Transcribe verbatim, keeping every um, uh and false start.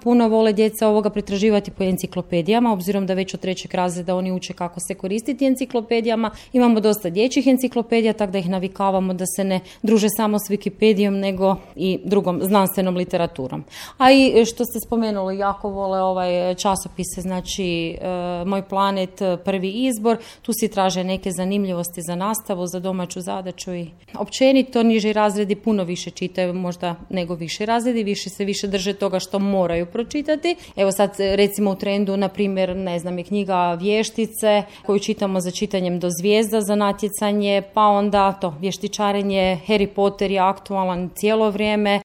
puno vole djeca ovoga pretraživati po enciklopedijama, obzirom da već od trećeg razreda oni uče kako se koristiti enciklopedijama. Imamo dosta dječjih enciklopedija, tako da ih navikavamo da se ne druže samo s Wikipedijom, nego i drugom znanstvenom literaturom. A i što ste spomenuli, jako vole ovaj časopise, znači e, Moj planet, Prvi izbor, tu si traže neke zanimljivosti za nastavu, za domaću zadaću i općenito niži razredi puno više čitaju možda nego viši razredi, više se više drže toga što moraju pročitati. Evo sad recimo u trendu, na primjer, ne znam, je knjiga Vještice koju čitamo za čitanjem do zvijezda za natjecanje, pa onda to vještičarenje, Harry Potter je aktualan cijelo vrijeme,